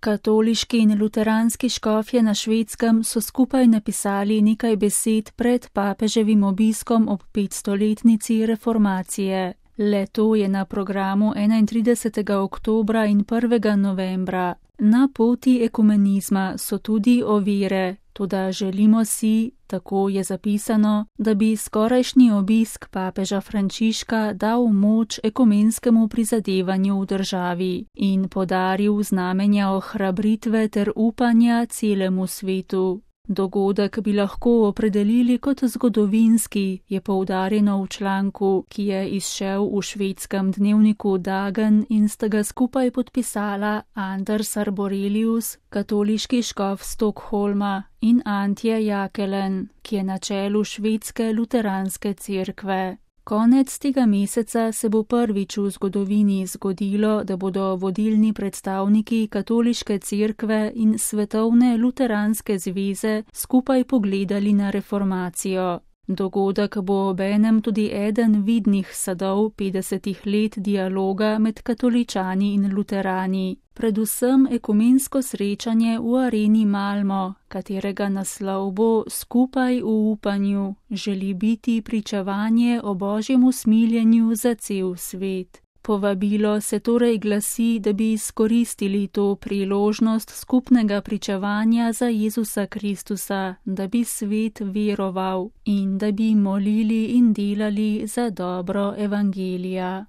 Katoliški in luteranski škofje na Švedskem so skupaj napisali nekaj besed pred papeževim obiskom ob 500-letnici reformacije. Le-to je na programu 31. oktobra in 1. novembra. Na poti ekumenizma so tudi ovire, toda želimo si, tako je zapisano, da bi skorajšnji obisk papeža Frančiška dal moč ekumenskemu prizadevanju v državi in podaril znamenja ohrabritve ter upanja celemu svetu. Dogodek bi lahko opredelili kot zgodovinski, je poudarjeno v članku, ki je izšel v švedskem dnevniku Dagen in sta ga skupaj podpisala Anders Arborelius, katoliški škof Stockholma, in Antje Jakelen, ki je na čelu švedske luteranske cerkve. Konec tega meseca se bo prvič v zgodovini zgodilo, da bodo vodilni predstavniki katoliške cerkve in svetovne luteranske zveze skupaj pogledali na reformacijo. Dogodek bo obenem tudi eden vidnih sadov 50 let dialoga med katoličani in luterani, predvsem ekumensko srečanje v areni Malmo, katerega naslov bo Skupaj v upanju, želi biti pričevanje o Božjem usmiljenju za cel svet. Povabilo se torej glasi, da bi izkoristili to priložnost skupnega pričevanja za Jezusa Kristusa, da bi svet veroval in da bi molili in delali za dobro evangelija.